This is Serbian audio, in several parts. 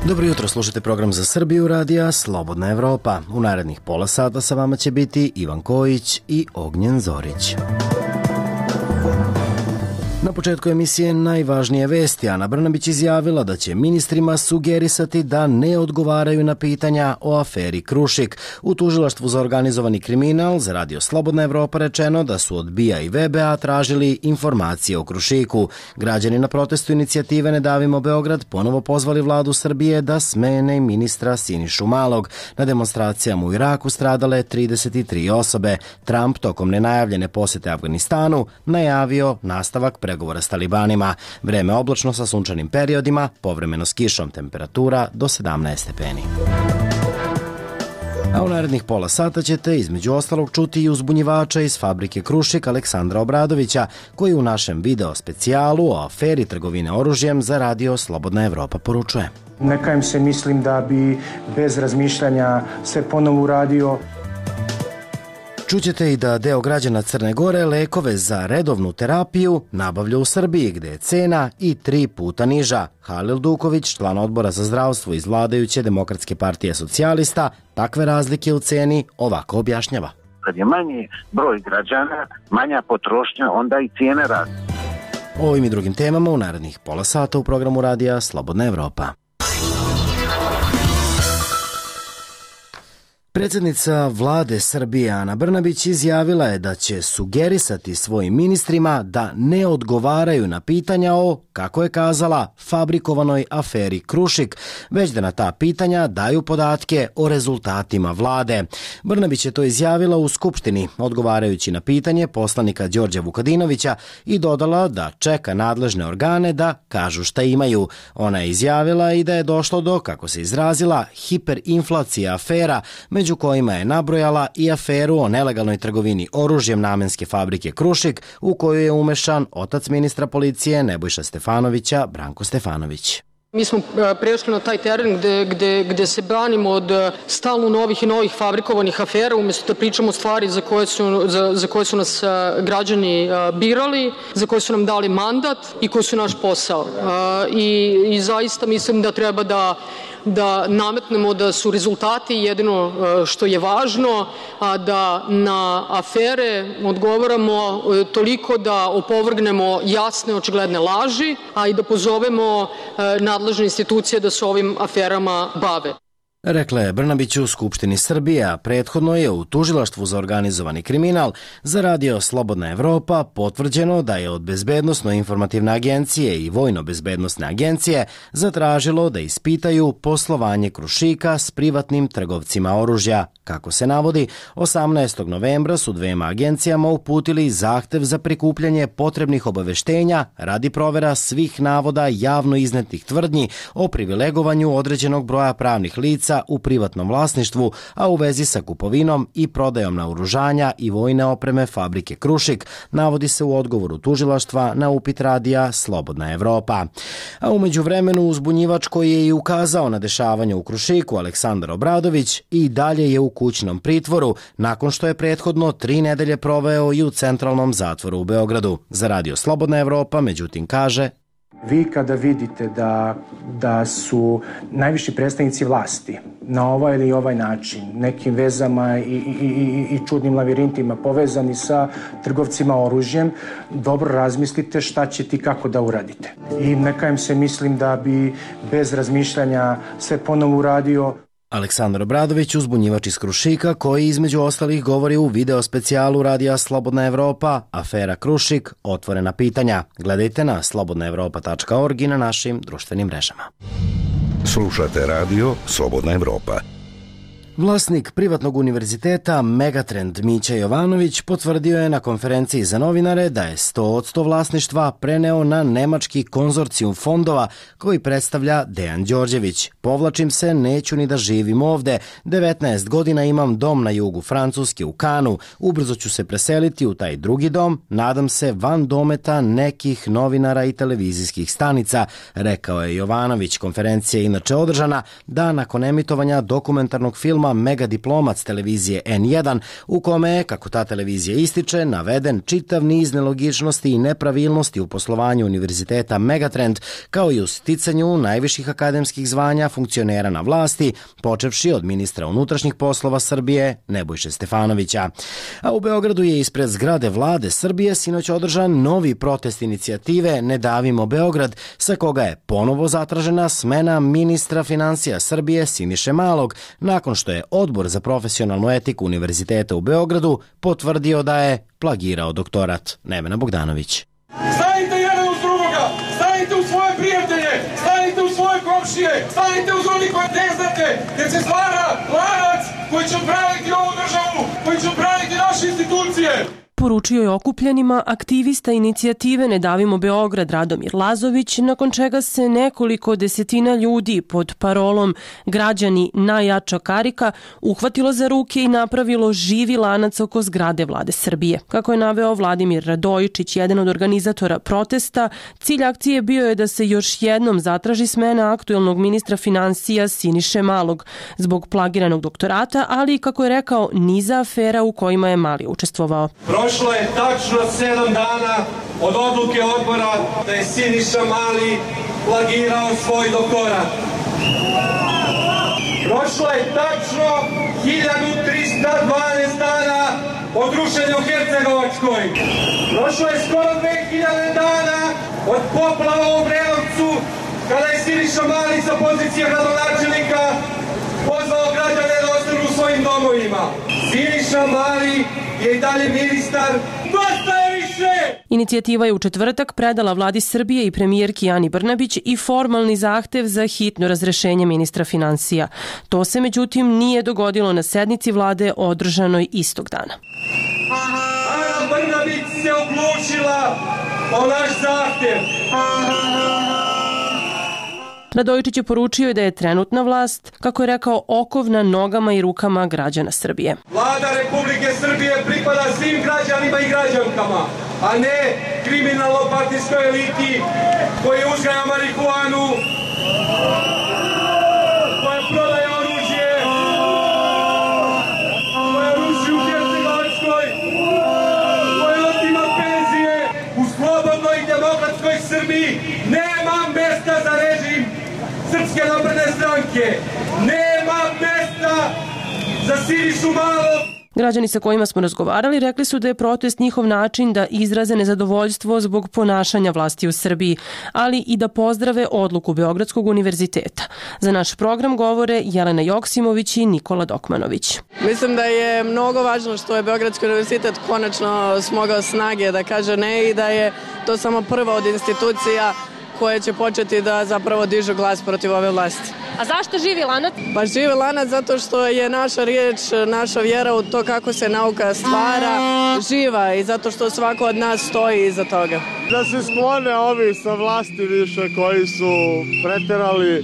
Dobro jutro, slušate program za Srbiju radija Slobodna Evropa. U narednih pola sata sa vama će biti Ivan Kojić i Ognjen Zorić. Na početku emisije najvažnije vesti. Ana Brnabić izjavila da će ministrima sugerisati da ne odgovaraju na pitanja o aferi Krušik. U tužilaštvu za organizovani kriminal za radio Slobodna Evropa rečeno da su od BIA i VBA tražili informacije o Krušiku. Građani na protestu inicijative Ne davimo Beograd ponovo pozvali vladu Srbije da smene ministra Sinišu Malog. Na demonstracijama u Iraku stradale 33 osobe. Trump tokom nenajavljene posete Afganistanu najavio nastavak pregovora s talibanima. Vreme oblačno sa sunčanim periodima, povremeno s kišom, temperatura do 17 stepeni. A u narednih pola sata ćete između ostalog čuti i uzbunjivača iz fabrike Krušik Aleksandra Obradovića, koji u našem video specijalu o aferi trgovine oružjem za radio Slobodna Evropa poručuje. Nekajem se mislim da bi bez razmišljanja sve ponovo uradio. Čućete i da deo građana Crne Gore lekove za redovnu terapiju nabavlja u Srbiji, gde je cena i 3 puta niža. Halil Duković, član odbora za zdravstvo iz vladajuće Demokratske partije socijalista, takve razlike u ceni ovako objašnjava. Kad je manji broj građana, manja potrošnja, onda i cijene rastu. O ovim i drugim temama u narednih pola sata u programu radija Slobodna Evropa. Predsjednica vlade Srbije Ana Brnabić izjavila je da će sugerisati svojim ministrima da ne odgovaraju na pitanja o, kako je kazala, fabrikovanoj aferi Krušik, već da na ta pitanja daju podatke o rezultatima vlade. Brnabić je to izjavila u Skupštini, odgovarajući na pitanje poslanika Đorđa Vukadinovića i dodala da čeka nadležne organe da kažu šta imaju. Ona je izjavila i da je došlo do, kako se izrazila, hiperinflacija afera, među kojima je nabrojala i aferu o nelegalnoj trgovini oružjem namenske fabrike Krušik, u kojoj je umešan otac ministra policije Nebojša Stefanovića, Branko Stefanović. Mi smo prešli na taj teren gde se branimo od stalno novih i novih fabrikovanih afera, umjesto da pričamo stvari za koje su nas građani birali, za koje su nam dali mandat i koji su naš posao. I zaista mislim da treba da nametnemo da su rezultati jedino što je važno, a da na afere odgovaramo toliko da opovrgnemo jasne očigledne laži, a i da pozovemo nadležne institucije da se ovim aferama bave. Rekla je Brnabić u Skupštini Srbije, a prethodno je u tužilaštvu za organizovani kriminal za radio Slobodna Evropa potvrđeno da je od Bezbednosno-informativne agencije i Vojno-bezbednosne agencije zatražilo da ispitaju poslovanje Krušika s privatnim trgovcima oružja. Kako se navodi, 18. novembra su dvema agencijama uputili zahtev za prikupljanje potrebnih obaveštenja radi provera svih navoda javno iznetih tvrdnji o privilegovanju određenog broja pravnih lica u privatnom vlasništvu, a u vezi sa kupovinom i prodajom naoružanja i vojne opreme fabrike Krušik, navodi se u odgovoru tužilaštva na upit radija Slobodna Evropa. A umeđu vremenu uzbunjivač koji je i ukazao na dešavanje u Krušiku, Aleksandar Obradović, i dalje je u kućnom pritvoru, nakon što je prethodno 3 nedelje proveo i u centralnom zatvoru u Beogradu. Za radio Slobodna Evropa, međutim, kaže: Vi kada vidite da su najviši predstavnici vlasti na ovaj ili ovaj način, nekim vezama i čudnim lavirintima povezani sa trgovcima oružjem, dobro razmislite šta ćete i kako da uradite. I nekajem se mislim da bi bez razmišljanja sve ponovo uradio. Aleksandar Obradović, uzbunjivač iz Krušika, koji između ostalih govori u video specijalu radija Slobodna Evropa, afera Krušik, otvorena pitanja. Gledajte na slobodnaevropa.org i na našim društvenim mrežama. Slušate radio Slobodna Evropa. Vlasnik privatnog univerziteta Megatrend Mića Jovanović potvrdio je na konferenciji za novinare da je 100% vlasništva preneo na nemački konzorcijum fondova koji predstavlja Dejan Đorđević. Povlačim se, neću ni da živim ovde. 19 godina imam dom na jugu Francuske u Kanu. Ubrzo ću se preseliti u taj drugi dom, nadam se van dometa nekih novinara i televizijskih stanica, rekao je Jovanović. Konferencija je inače održana dan nakon emitovanja dokumentarnog filma programa Megadiplomac televizije N1, u kome je, kako ta televizija ističe, naveden čitav niz nelogičnosti i nepravilnosti u poslovanju Univerziteta Megatrend, kao i u sticanju najviših akademskih zvanja funkcionera na vlasti, počevši od ministra unutrašnjih poslova Srbije Nebojše Stefanovića. A u Beogradu je ispred zgrade vlade Srbije sinoć održan novi protest inicijative Ne davimo Beograd, sa koga je ponovo zatražena smena ministra financija Srbije Siniše Malog, nakon što je Odbor za profesionalnu etiku Univerziteta u Beogradu potvrdio da je plagirao doktorat. Nevena Bogdanović. Stanite jedan uz drugoga, stanite u svoje prijatelje, stanite u svoje komšije, stanite uz oni koje ne znate, jer se stvara lanac koji će odbraniti ovu državu, koji će odbraniti naše institucije. Poručio je okupljenima aktivista inicijative Ne davimo Beograd Radomir Lazović, nakon čega se nekoliko desetina ljudi pod parolom Građani najjača karika uhvatilo za ruke i napravilo živi lanac oko zgrade vlade Srbije. Kako je naveo Vladimir Radojičić, jedan od organizatora protesta, cilj akcije bio je da se još jednom zatraži smena aktuelnog ministra financija Siniše Malog zbog plagiranog doktorata, ali i, kako je rekao, niza afera u kojima je Mali učestvovao. Prošlo je tačno 7 dana od odluke odbora da je Siniša Mali plagirao svoj doktorat. Prošlo je tačno 1312 dana od rušenja u Hercegovačkoj. Prošlo je skoro 2000 dana od poplava u Obrenovcu, kada je Siniša Mali sa pozicije gradonačelnika pozvao građane da ostanu u svojim domovima. Siniša Mali je i dalje ministar. Dosta je više! Inicijativa je u četvrtak predala vladi Srbije i premijerki Ani Brnabić i formalni zahtev za hitno razrešenje ministra financija. To se međutim nije dogodilo na sednici vlade održanoj istog dana. Ana Brnabić se oglušila o naš zahtev. Radojičić je poručio da je trenutna vlast, kako je rekao, okov na nogama i rukama građana Srbije. Vlada Republike Srbije pripada svim građanima i građankama, a ne kriminalno-partijskoj eliti koji uzgaja marihuanu, koja prodaje oružje, koja ruši u Hercegovačkoj, koja otima penzije. U slobodnoj i demokratskoj Srbiji nema mesta za režim Srpske napredne stranke. Nema mesta za Sinišu Malog. Građani sa kojima smo razgovarali rekli su da je protest njihov način da izraze nezadovoljstvo zbog ponašanja vlasti u Srbiji, ali i da pozdrave odluku Beogradskog univerziteta. Za naš program govore Jelena Joksimović i Nikola Dokmanović. Mislim da je mnogo važno što je Beogradski univerzitet konačno smogao snage da kaže ne i da je to samo prva od institucija koje će početi da zapravo dižu glas protiv ove vlasti. A zašto živi lanac? Pa živi lanac zato što je naša riječ, naša vjera u to kako se nauka stvara živa i zato što svako od nas stoji iza toga. Da se sklone ovi sa vlasti više koji su preterali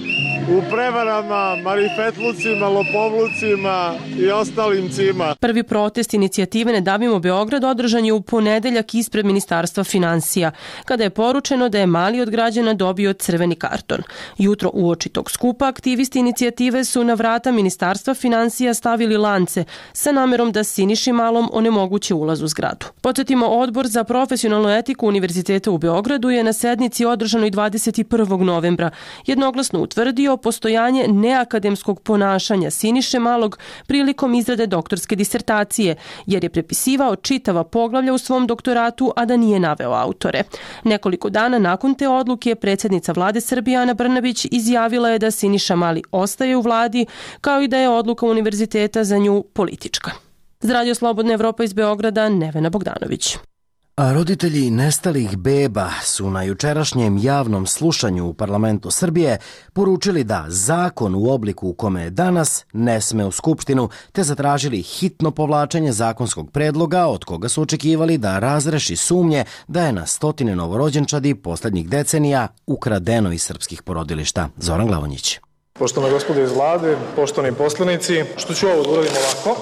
u prevarama, marifetlucima, lopovlucima i ostalim cima. Prvi protest inicijative Ne davimo Beograd održan je u ponedeljak ispred Ministarstva financija, kada je poručeno da je Mali od građana dobio crveni karton. Jutro uoči tog skupa aktivisti inicijative su na vrata Ministarstva financija stavili lance sa namerom da Siniši Malom onemoguće ulaz u zgradu. Podsjetimo, Odbor za profesionalnu etiku Univerziteta u Beogradu je na sednici održanoj 21. novembra jednoglasno utvrdio postojanje neakademskog ponašanja Siniše Malog prilikom izrade doktorske disertacije, jer je prepisivao čitava poglavlja u svom doktoratu, a da nije naveo autore. Nekoliko dana nakon te odluke predsjednica vlade Srbije Ana Brnabić izjavila je da Siniša Mali ostaje u vladi, kao i da je odluka univerziteta za nju politička. Za Radio Slobodna Evropa iz Beograda, Nevena Bogdanović. A roditelji nestalih beba su na jučerašnjem javnom slušanju u parlamentu Srbije poručili da zakon u obliku u kome je danas ne sme u Skupštinu, te zatražili hitno povlačenje zakonskog predloga od koga su očekivali da razreši sumnje da je na stotine novorođenčadi poslednjih decenija ukradeno iz srpskih porodilišta. Zoran Glavonjić. Poštovana gospodo iz vlade, poštovani poslanici, što ću ovo da uradim ovako?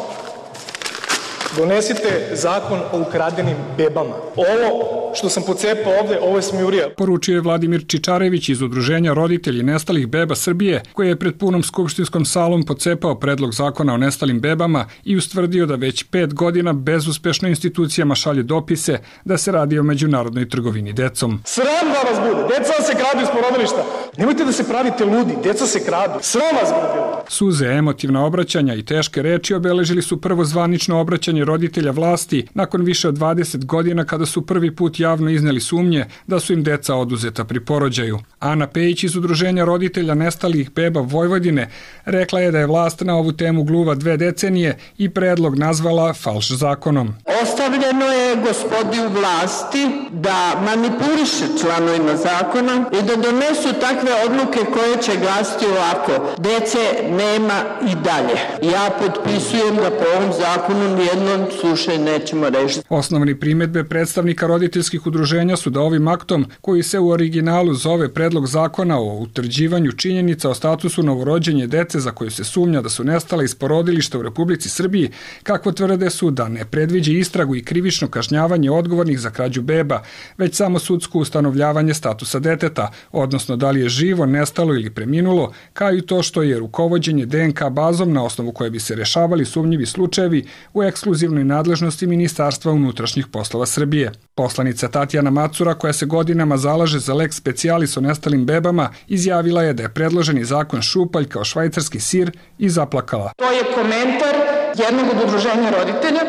Donesite zakon o ukradenim bebama. Ovo što sam pocepao ovde, ovo je smijurija. Poručio je Vladimir Čičarević iz Udruženja roditelji nestalih beba Srbije, koji je pred punom skupštinskom salom pocepao predlog zakona o nestalim bebama i ustvrdio da već 5 godina bezuspešno institucijama šalje dopise da se radi o međunarodnoj trgovini decom. Sram da vas bude, deca se kradu iz porodilišta. Nemojte da se pravite ludi, deca se kradu. Sram vas bude. Suze, emotivna obraćanja i teške reči obeležili su prvo zvanično obraćanje roditelja vlasti nakon više od 20 godina kada su prvi put javno izneli sumnje da su im deca oduzeta pri porođaju. Ana Pejić iz Udruženja roditelja nestalih beba Vojvodine rekla je da je vlast na ovu temu gluva 2 decenije i predlog nazvala falš zakonom. Ostavljeno je gospodi u vlasti da manipuliše članovima zakona i da donesu takve odluke koje će glasiti ovako: dece nema i dalje. Ja potpisujem da po ovom zakonu nijednom slučaju nećemo rešiti. Osnovni primedbe predstavnika roditeljskih udruženja su da ovim aktom, koji se u originalu zove Predlog zakona o utvrđivanju činjenica o statusu novorođenje dece za koju se sumnja da su nestala iz porodilišta u Republici Srbiji, kako tvrde su da ne predviđa istragu i krivično kažnjavanje odgovornih za krađu beba, već samo sudsko ustanovljavanje statusa deteta, odnosno da li je živo, nestalo ili preminulo, kao i to što je rukovođenje DNK bazom na osnovu koje bi se rešavali sumnjivi slučajevi u ekskluzivnoj nadležnosti Ministarstva unutrašnjih poslova Srbije. Poslanica Tatjana Macura, koja se godinama zalaže za lex specialis o nestalim bebama, izjavila je da je predloženi zakon šupalj kao švajcarski sir i zaplakala. To je komentar jednog od udruženja roditelja,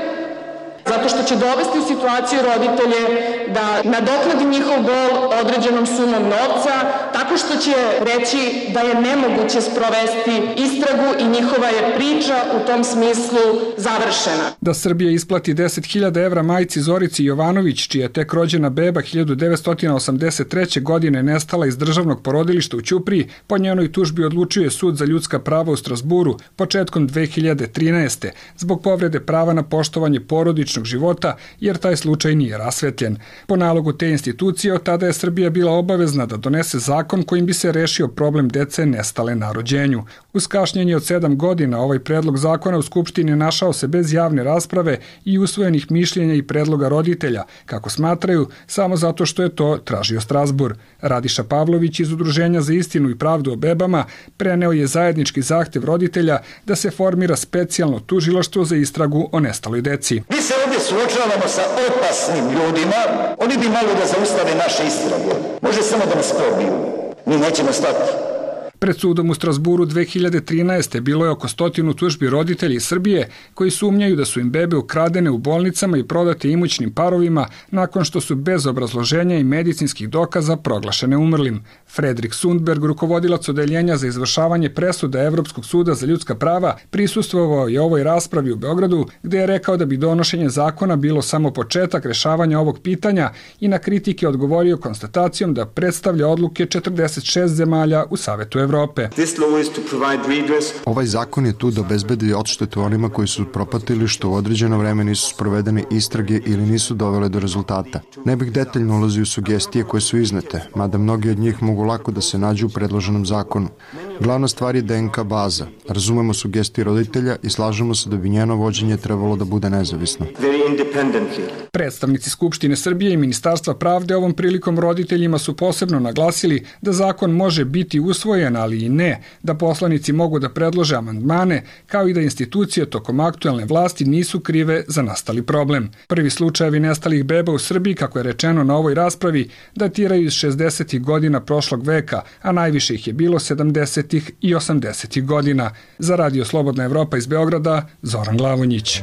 zato što će dovesti u situaciju roditelje da nadoknadi njihov bol određenom sumom novca, tako što će reći da je nemoguće sprovesti istragu i njihova je priča u tom smislu završena. Da Srbija isplati 10.000 evra majci Zorici Jovanović, čija je tek rođena beba 1983. godine nestala iz državnog porodilišta u Ćupriji, po njenoj tužbi odlučuje Sud za ljudska prava u Strasburu početkom 2013. zbog povrede prava na poštovanje porodičnog života, jer taj slučaj nije rasvetljen. Po nalogu te institucije, od tada je Srbija bila obavezna da donese zakon kojim bi se rešio problem dece nestale na rođenju. Uz kašnjenje od 7 godina ovaj predlog zakona u Skupštini našao se bez javne rasprave i usvojenih mišljenja i predloga roditelja, kako smatraju, samo zato što je to tražio Strasbur. Radiša Pavlović iz Udruženja za istinu i pravdu o bebama preneo je zajednički zahtev roditelja da se formira specijalno tužilaštvo za istragu o nestaloj deci. Mi se ovdje suočavamo sa opasnim ljudima, oni bi malo da zaustave naše istrage. Može samo da nas probiju. Mi nećemo stati. Pred sudom u Strasburu 2013. bilo je oko 100 tužbi roditelja iz Srbije koji sumnjaju da su im bebe ukradene u bolnicama i prodate imućnim parovima nakon što su bez obrazloženja i medicinskih dokaza proglašene umrlim. Fredrik Sundberg, rukovodilac odeljenja za izvršavanje presuda Evropskog suda za ljudska prava, prisustvovao je ovoj raspravi u Beogradu, gde je rekao da bi donošenje zakona bilo samo početak rešavanja ovog pitanja i na kritike odgovorio konstatacijom da predstavlja odluke 46 zemalja u Savetu Evrope. Ovaj zakon je tu da obezbedi odštetu onima koji su propatili što u određeno vreme nisu sprovedene istrage ili nisu dovele do rezultata. Ne bih detaljno ulazio u sugestije koje su iznete, mada mnogi od njih mogu lako da se nađu u predloženom zakonu. Glavna stvar je DNK baza. Razumemo sugestije roditelja i slažemo se da bi njeno vođenje trebalo da bude nezavisno. Predstavnici Skupštine Srbije i Ministarstva pravde ovom prilikom roditeljima su posebno naglasili da zakon može biti usvojen, ali i ne, da poslanici mogu da predlože amandmane, kao i da institucije tokom aktuelne vlasti nisu krive za nastali problem. Prvi slučajevi nestalih beba u Srbiji, kako je rečeno na ovoj raspravi, datiraju iz 60. godina prošlog veka, a najviše ih je bilo 70. i 80. godina. Za Radio Slobodna Evropa iz Beograda, Zoran Glavonjić.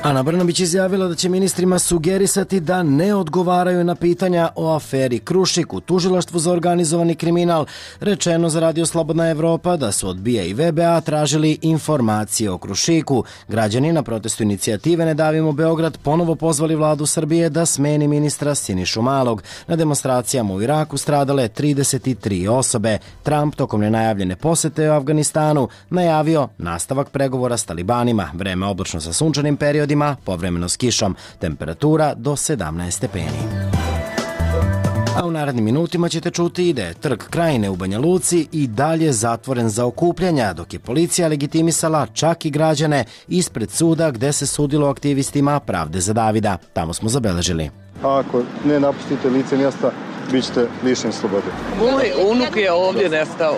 Ana Brnabić izjavila da će ministrima sugerisati da ne odgovaraju na pitanja o aferi Krušik u tužilaštvu za organizovani kriminal. Rečeno za Radio Slobodna Evropa da su od BIA i VBA tražili informacije o Krušiku. Građani na protestu inicijative Ne davimo Beograd ponovo pozvali vladu Srbije da smeni ministra Sinišu Malog. Na demonstracijama u Iraku stradale 33 osobe. Trump tokom nenajavljene posete u Afganistanu najavio nastavak pregovora s talibanima. Vreme oblačno sa sunčanim periodima, povremeno s kišom, temperatura do 17 stepeni. A u narednim minutima ćete čuti da je Trg Krajine u Banja Luci i dalje zatvoren za okupljanja, dok je policija legitimisala čak i građane ispred suda gde se sudilo aktivistima Pravde za Davida. Tamo smo zabeležili. Ako ne napustite lice mjesta, bit ćete lišeni slobode. Moj unuk je ovdje nestao.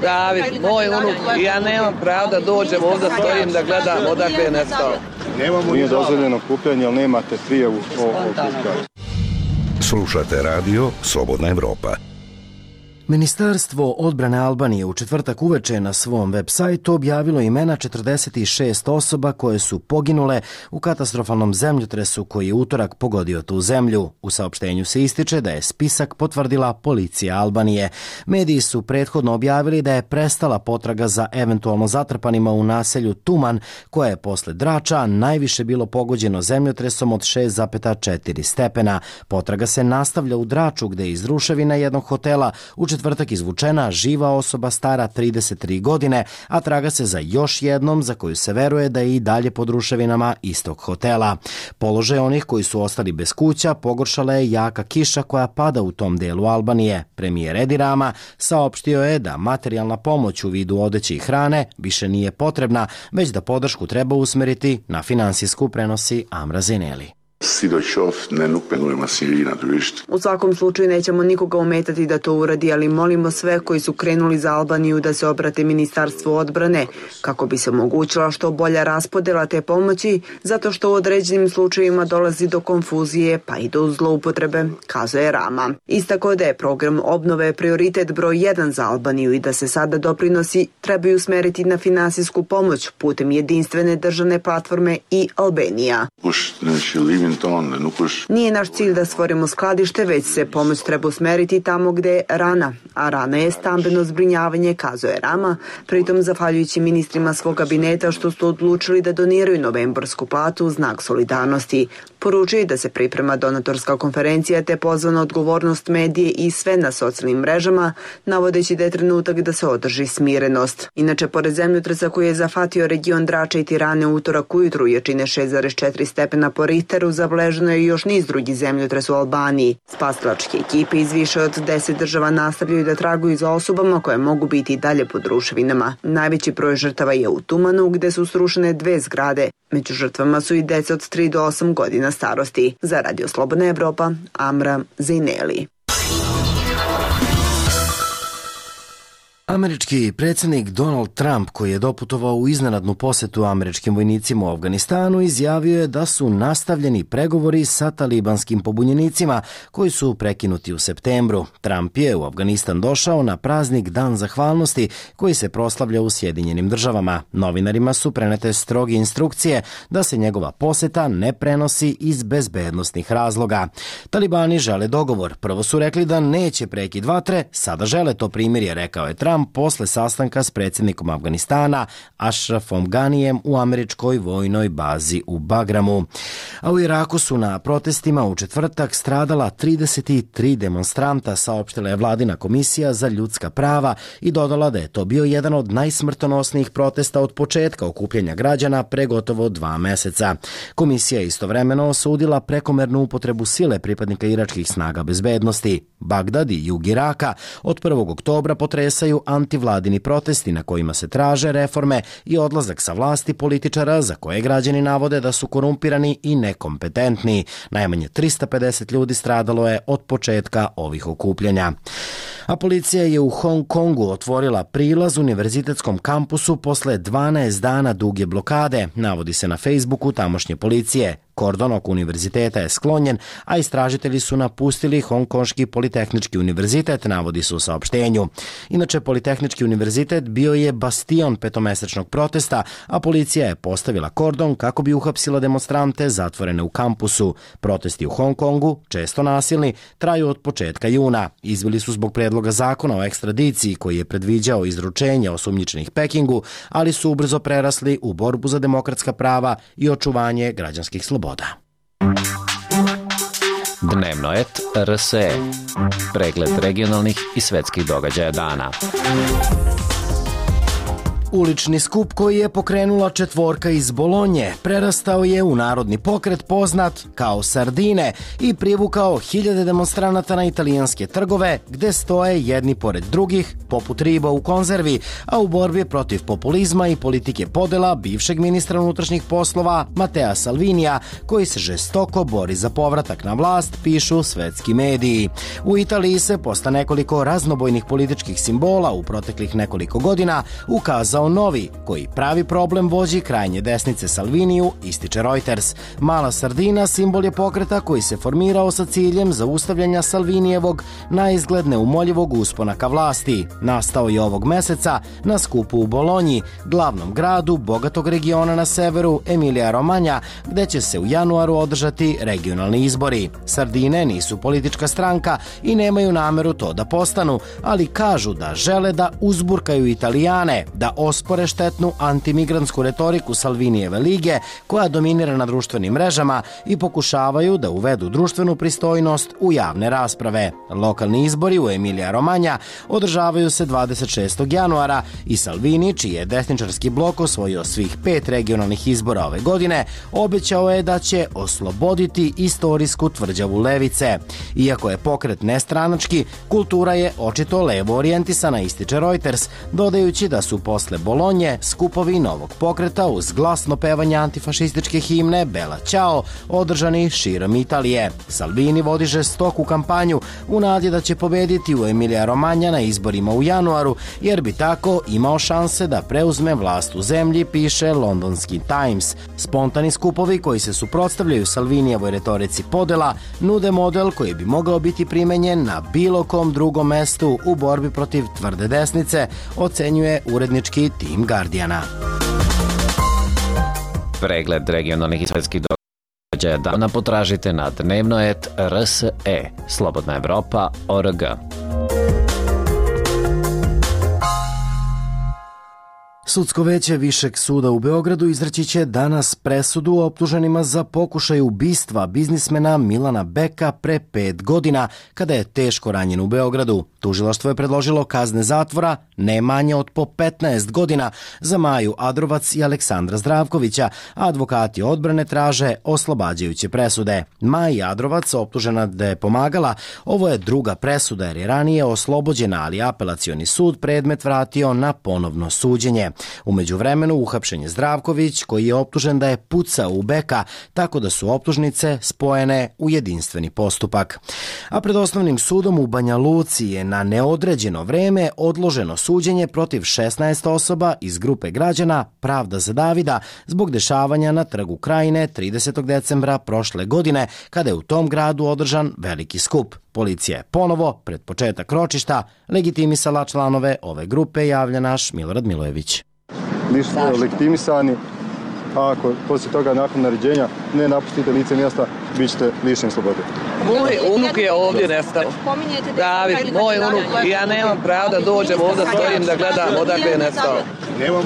David, moj unuk. Ja nemam pravo da dođem ovdje, stojim da gledam odakle je nestao. Nije dozvoljeno okupljanje, ali nemate prijavu o okupljanju. Slušate radio Slobodna Evropa. Ministarstvo odbrane Albanije u četvrtak uveče na svom web sajtu objavilo imena 46 osoba koje su poginule u katastrofalnom zemljotresu koji je utorak pogodio tu zemlju. U saopštenju se ističe da je spisak potvrdila policija Albanije. Mediji su prethodno objavili da je prestala potraga za eventualno zatrpanima u naselju Tuman, koje je posle Drača najviše bilo pogođeno zemljotresom od 6,4 stepena. Potraga se nastavlja u Draču gde je iz ruševina jednog hotela u četvrtak izvučena živa osoba stara 33 godine, a traga se za još jednom za koju se veruje da je i dalje pod ruševinama istog hotela. Položaj onih koji su ostali bez kuća pogoršala je jaka kiša koja pada u tom delu Albanije. Premijer Edi Rama saopštio je da materijalna pomoć u vidu odeće i hrane više nije potrebna, već da podršku treba usmeriti na finansijsku, prenosi Amra Zineli. U svakom slučaju nećemo nikoga ometati da to uradi, ali molimo sve koji su krenuli za Albaniju da se obrate Ministarstvu odbrane kako bi se omogućila što bolja raspodela te pomoći, zato što u određenim slučajevima dolazi do konfuzije pa i do zloupotrebe, kazuje Rama. Istako da je program obnove prioritet broj 1 za Albaniju i da se sada doprinosi trebaju usmeriti na finansijsku pomoć putem jedinstvene državne platforme i Albanija. Nije naš cilj da stvorimo skladište, već se pomoć treba usmeriti tamo gde je rana, a rana je stambeno zbrinjavanje, kazuje Rama, pritom zahvaljujući ministrima svog kabineta što su odlučili da doniraju novembarsku platu u znak solidarnosti. Poručuje da se priprema donatorska konferencija te pozvana odgovornost medije i sve na socijalnim mrežama, navodeći da je trenutak da se održi smirenost. Inače, pored zemljotresa koji je zafatio region Drača i Tirane utorak ujutru jačine 6,4 stepena po Richteru, zabeleženo je još niz drugih zemljotresa u Albaniji. Spasilačke ekipe iz više od 10 država nastavljaju da traguju za osobama koje mogu biti i dalje pod ruševinama. Najveći broj žrtava je u Tumanu gde su srušene 2 zgrade. Među žrtvama su i deca od 3 do 8 godina starosti. Za Radio Slobodna Evropa, Amra Zineli. Američki predsjednik Donald Trump, koji je doputovao u iznenadnu posetu američkim vojnicima u Afganistanu, izjavio je da su nastavljeni pregovori sa talibanskim pobunjenicima koji su prekinuti u septembru. Trump je u Afganistan došao na praznik Dan zahvalnosti koji se proslavlja u Sjedinjenim državama. Novinarima su prenete stroge instrukcije da se njegova poseta ne prenosi iz bezbednosnih razloga. Talibani žele dogovor. Prvo su rekli da neće prekid vatre, sada žele to primirje, rekao je Trump posle sastanka s predsjednikom Afganistana Ashrafom Ganijem u američkoj vojnoj bazi u Bagramu. A u Iraku su na protestima u četvrtak stradala 33 demonstranta, saopštila je vladina komisija za ljudska prava i dodala da je to bio jedan od najsmrtonosnijih protesta od početka okupljanja građana pre gotovo 2 meseca. Komisija je istovremeno osudila prekomernu upotrebu sile pripadnika iračkih snaga bezbednosti. Bagdad i jug Iraka od 1. oktobra potresaju antivladini protesti na kojima se traže reforme i odlazak sa vlasti političara za koje građani navode da su korumpirani i nekompetentni. Najmanje 350 ljudi stradalo je od početka ovih okupljanja. A policija je u Hong Kongu otvorila prilaz univerzitetskom kampusu posle 12 dana duge blokade, navodi se na Facebooku tamošnje policije. Kordon oko univerziteta je sklonjen, a istražitelji su napustili Hongkonški politehnički univerzitet, navodi se u saopštenju. Inače, Politehnički univerzitet bio je bastion petomesečnog protesta, a policija je postavila kordon kako bi uhapsila demonstrante zatvorene u kampusu. Protesti u Hong Kongu, često nasilni, traju od početka juna. Izbili su zbog predloga zakona o ekstradiciji koji je predviđao izručenje osumnjičenih Pekingu, ali su ubrzo prerasli u borbu za demokratska prava i očuvanje građanskih sloboda. Dnevno et RSE. Pregled regionalnih i svetskih događaja dana. Ulični skup koji je pokrenula četvorka iz Bolonje prerastao je u narodni pokret poznat kao Sardine i privukao hiljade demonstranata na italijanske trgove gde stoje jedni pored drugih poput riba u konzervi, a u borbi protiv populizma i politike podela bivšeg ministra unutrašnjih poslova Matea Salvinija koji se žestoko bori za povratak na vlast, pišu svetski mediji. U Italiji se posle nekoliko raznobojnih političkih simbola u proteklih nekoliko godina ukazao novi, koji pravi problem vođi krajnje desnice Salviniju, ističe Reuters. Mala Sardina simbol je pokreta koji se formirao sa ciljem zaustavljanja Salvinijevog naizgled neumoljivog uspona ka vlasti. Nastao je ovog meseca na skupu u Bolonji, glavnom gradu bogatog regiona na severu Emilija Romanja, gde će se u januaru održati regionalni izbori. Sardine nisu politička stranka i nemaju nameru to da postanu, ali kažu da žele da uzburkaju Italijane, da ospore štetnu antimigrantsku retoriku Salvinijeve lige koja dominira na društvenim mrežama i pokušavaju da uvedu društvenu pristojnost u javne rasprave. Lokalni izbori u Emilija Romanja održavaju se 26. januara i Salvini, čiji je desničarski blok osvojio svih 5 regionalnih izbora ove godine, obećao je da će osloboditi istorijsku tvrđavu levice. Iako je pokret nestranački, kultura je očito levo orijentisana, ističe Reuters, dodajući da su posle Bolonje skupovi novog pokreta uz glasno pevanje antifašističke himne Bella Ciao održani širom Italije. Salvini vodi žestoku kampanju u nadi da će pobediti u Emilija Romanja na izborima u januaru, jer bi tako imao šanse da preuzme vlast u zemlji, piše londonski Times. Spontani skupovi koji se suprotstavljaju Salvinijevoj retorici podela nude model koji bi mogao biti primenjen na bilo kom drugom mestu u borbi protiv tvrde desnice, ocenjuje urednički tim Guardiana. Pregled regionalnih i svetskih događaja dana potražite na dnevnoet.rse, Slobodna Evropa.org. Sudsko veće Višeg suda u Beogradu izreći će danas presudu optuženima za pokušaj ubistva biznismena Milana Beka pre 5 godina kada je teško ranjen u Beogradu. Tužilaštvo je predložilo kazne zatvora ne manje od po 15 godina za Maju Adrovac i Aleksandra Zdravkovića, a advokati odbrane traže oslobađajuće presude. Maji Adrovac, optužena da je pomagala, ovo je druga presuda jer je ranije oslobođena, ali apelacioni sud predmet vratio na ponovno suđenje. U međuvremenu uhapšen je Zdravković koji je optužen da je pucao u Beka, tako da su optužnice spojene u jedinstveni postupak. A pred osnovnim sudom u Banja Luci je na neodređeno vreme odloženo suđenje protiv 16 osoba iz grupe građana Pravda za Davida zbog dešavanja na Trgu Krajine 30. decembra prošle godine kada je u tom gradu održan veliki skup. Policija je ponovo, pred početak ročišta, legitimisala članove ove grupe, javlja naš Milorad Milojević. Nisu legitimisani, a ako poslije toga nakon naređenja ne napustite lice mjesta, bit ćete lišeni slobode. Moj unuk je ovdje nestao. David, moj unuk. Ja nemam pravo da dođem ovdje, stojim da gledam odakle je nestao.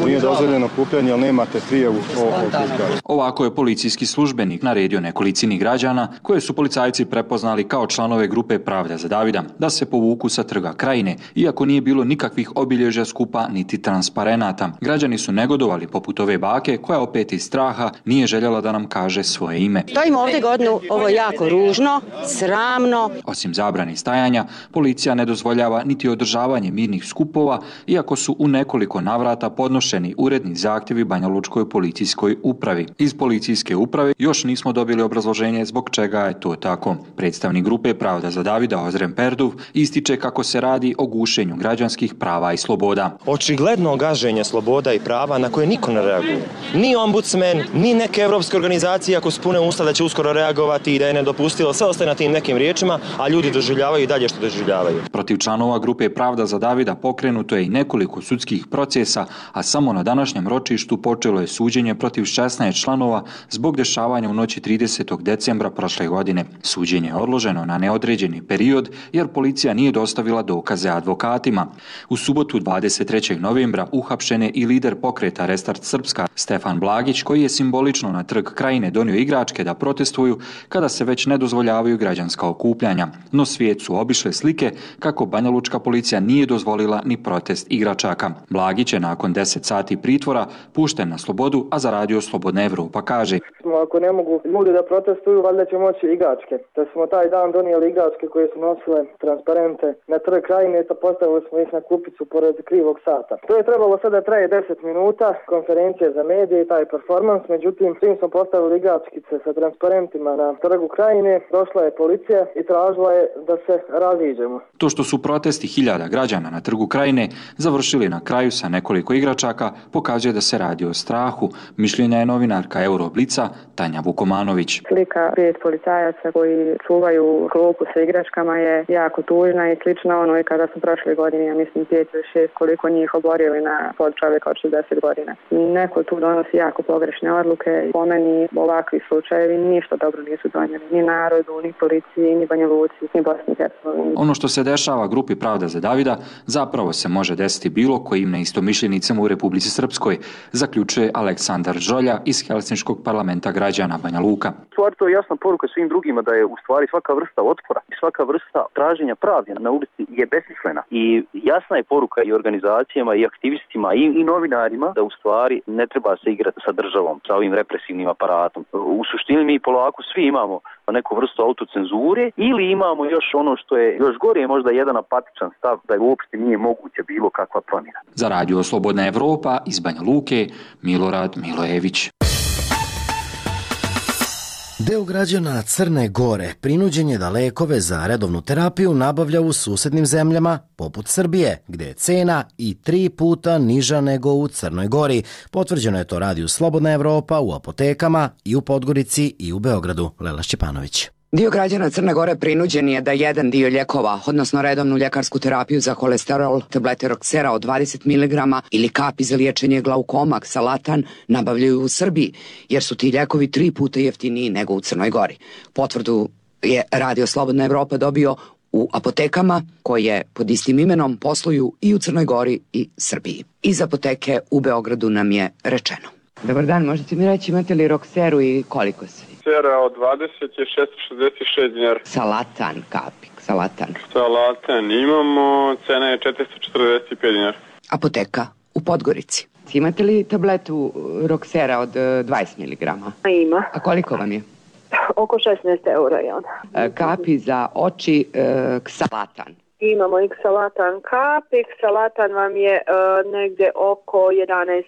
Nije dozvoljeno okupljanje, ali nemate prijavu o okupljanju. Ovako je policijski službenik naredio nekolicini građana koje su policajci prepoznali kao članove grupe Pravda za Davida da se povuku sa Trga Krajine, iako nije bilo nikakvih obilježja skupa niti transparenata. Građani su negodovali poput ove bake koja opet iz straha nije željela da nam kaže svoje ime. Stojimo ovdje godinu, ovo je jako ružno, sramno. Osim zabrane stajanja, policija ne dozvoljava niti održavanje mirnih skupova, iako su u nekoliko navrata podnošeni uredni zahtjevi Banjalučkoj policijskoj upravi. Iz policijske uprave još nismo dobili obrazloženje zbog čega je to tako. Predstavnik grupe Pravda za Davida Ozren Perduv ističe kako se radi o gušenju građanskih prava i sloboda. Očigledno gaženje sloboda i prava na koje niko ne reaguje. Ni ombudsman, ni neke evropske organizacije ako su pune usta da će uskoro reagovati i da je nedopustilo, sve ostaje na tim nekim riječima, a ljudi doživljavaju i dalje što doživljavaju. Protiv članova grupe Pravda za Davida pokrenuto je i nekoliko sudskih procesa, a samo na današnjem ročištu počelo je suđenje protiv 16 članova zbog dešavanja u noći 30. decembra prošle godine. Suđenje je odloženo na neodređeni period jer policija nije dostavila dokaze advokatima. U subotu 23. novembra uhapšen je i lider pokreta Restart Srpska Stefan Blagić, koji je simbolično na Trg Krajine donio igračke da protestuju kada se već ne dozvoljavaju građanska okupljanja. No svijet su obišle slike kako banjalučka policija nije dozvolila ni protest igračaka. Blagić je nakon 10 sati pritvora, pušten na slobodu, a za radio Slobodna Evropa kaže: Ako ne mogu ljudi da protestuju, valjda će moći igračke. Da smo taj dan donijeli igračke koje su nosile transparente na Trg Krajine, to postavili smo ih na kupicu pored krivog sata. To je trebalo sada traje 10 minuta, konferencije za medije i taj performans, međutim, čim smo postavili igračkice sa transparentima na Trgu Krajine, došla je policija i tražila je da se raziđemo. To što su protesti hiljada građana na Trgu Krajine završili na kraju sa nekoliko igračaka pokazuje da se radi o strahu, mišljenja je novinarka Euroblica Tanja Vukomanović. Slika 5 policajaca koji čuvaju klupu sa igračkama je jako tužna i slična onoj kada su prošle godine, ja mislim 5 ili 6, koliko njih oborili na pod čovjeka od 60 godina. Neko tu donosi jako pogrešne odluke. Po meni ovakvi slučajevi ništa dobro nisu donijeli ni narodu, ni policiji, ni Banja Luci, ni Bosni i Hercegovini. Ono što se dešava grupi Pravda za Davida zapravo se može desiti bilo kojim neistomišljenicama u Republici Srpskoj, zaključuje Aleksandar Žolja iz Helsinškog parlamenta građana Banja Luka. Stvar, to je jasna poruka svim drugima da je u stvari svaka vrsta otpora i svaka vrsta traženja pravde na ulici je besmislena. I jasna je poruka i organizacijama i aktivistima i novinarima da u stvari ne treba se igrati sa državom, sa ovim represivnim aparatom. U suštini mi polako svi imamo neku vrstu autocenzure ili imamo još ono što je još gore, možda jedan apatičan stav da je uopšte nije moguće bilo kakva promjena. Za radio Slobodna Evropa iz Banja Luke, Milorad Milojević. Deo građana Crne Gore prinuđen je da lekove za redovnu terapiju nabavlja u susednim zemljama, poput Srbije, gde je cena i 3 puta niža nego u Crnoj Gori. Potvrđeno je to radiju Slobodna Evropa u apotekama i u Podgorici i u Beogradu. Lela Šćepanović. Dio građana Crne Gore prinuđen je da jedan dio ljekova, odnosno redovnu ljekarsku terapiju za kolesterol, tablete Roxera od 20 mg ili kapi za liječenje glaukoma, Xalatan, nabavljaju u Srbiji, jer su ti ljekovi 3 puta jeftiniji nego u Crnoj Gori. Potvrdu je radio Slobodna Evropa dobio u apotekama koje pod istim imenom posluju i u Crnoj Gori i Srbiji. Iz apoteke u Beogradu nam je rečeno: Dobar dan, možete mi reći imate li Roxeru i koliko se? Roxera od 20 je 666 dinara. Xalatan, kapi, Xalatan. Xalatan imamo, cena je 445 dinara. Apoteka u Podgorici. Imate li tabletu Roxera od 20 mg? Ima. A koliko vam je? Oko 16 eura je ona. Kapi za oči Xalatan. Imamo i Xalatan kapi. Xalatan vam je negde oko 11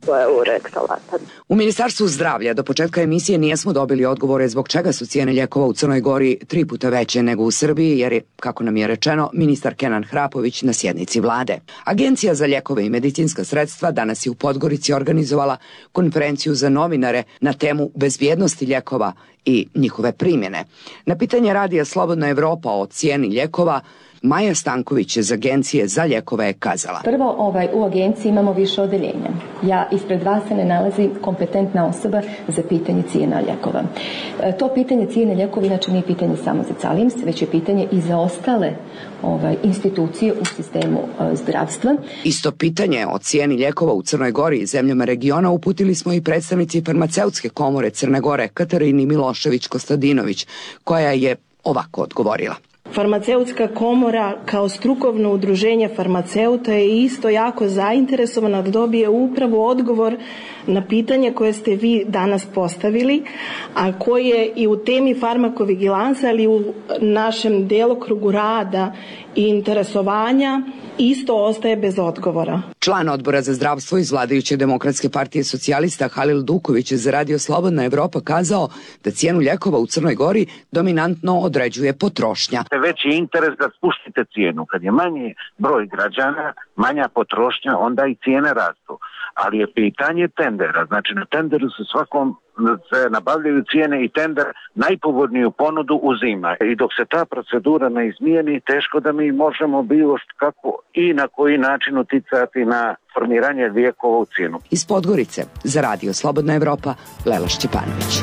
eura Xalatan. U Ministarstvu zdravlja do početka emisije nijesmo dobili odgovore zbog čega su cijene lijekova u Crnoj Gori 3 puta veće nego u Srbiji, jer je, kako nam je rečeno, ministar Kenan Hrapović na sjednici vlade. Agencija za lijekove i medicinska sredstva danas je u Podgorici organizovala konferenciju za novinare na temu bezbjednosti lijekova i njihove primjene. Na pitanje radija Slobodna Evropa o cijeni lijekova, Maja Stanković iz Agencije za lijekove je kazala: Prvo, u agenciji imamo više odeljenja. Ja ispred vas se ne nalazi kompetentna osoba za pitanje cijena lijekova. To pitanje cijene lijekova inače nije pitanje samo za Calims, već je pitanje i za ostale institucije u sistemu zdravstva. Isto pitanje o cijeni lijekova u Crnoj Gori i zemljama regiona uputili smo i predstavnici farmaceutske komore Crne Gore Katarini Milošević-Kostadinović, koja je ovako odgovorila: Farmaceutska komora kao strukovno udruženje farmaceuta je isto jako zainteresovana da dobije upravo odgovor na pitanje koje ste vi danas postavili, a koje i u temi farmakovigilansa, ali u našem delokrugu rada i interesovanja isto ostaje bez odgovora. Član odbora za zdravstvo iz vladajuće Demokratske partije socijalista Halil Duković je za radio Slobodna Evropa kazao da cijenu lijekova u Crnoj Gori dominantno određuje potrošnja. Veći interes da spuštite cijenu. Kad je manji broj građana, manja potrošnja, onda i cijene rastu. Ali je pitanje tendera. Znači na tenderu se nabavljaju cijene i tender najpovoljniju ponudu uzima. I dok se ta procedura ne izmijeni, teško da mi možemo bilo kako i na koji način uticati na formiranje lijekova u cijenu. Iz Podgorice za radio Slobodna Evropa, Lela Šćepanović.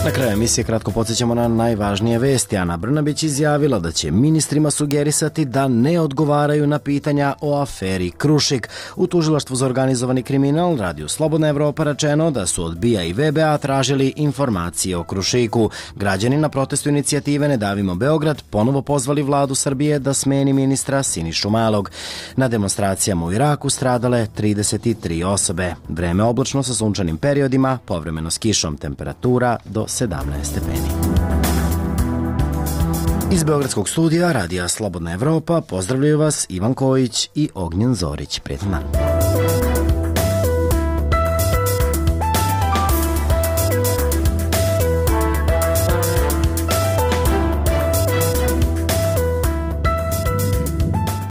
Na kraju emisije kratko podsjećamo na najvažnije vesti. Ana Brnabić izjavila da će ministrima sugerisati da ne odgovaraju na pitanja o aferi Krušik. U tužilaštvu za organizovani kriminal Radiju Slobodna Evropa rečeno da su od BIA i VBA tražili informacije o Krušiku. Građani na protestu inicijative Ne davimo Beograd ponovo pozvali vladu Srbije da smeni ministra Sinišu Malog. Na demonstracijama u Iraku stradale 33 osobe. Vreme oblačno sa sunčanim periodima, povremeno s kišom, temperatura do 17 stepeni. Iz Beogradskog studija Radija Slobodna Evropa pozdravljaju vas Ivan Kojić i Ognjen Zorić. Prijetan dan.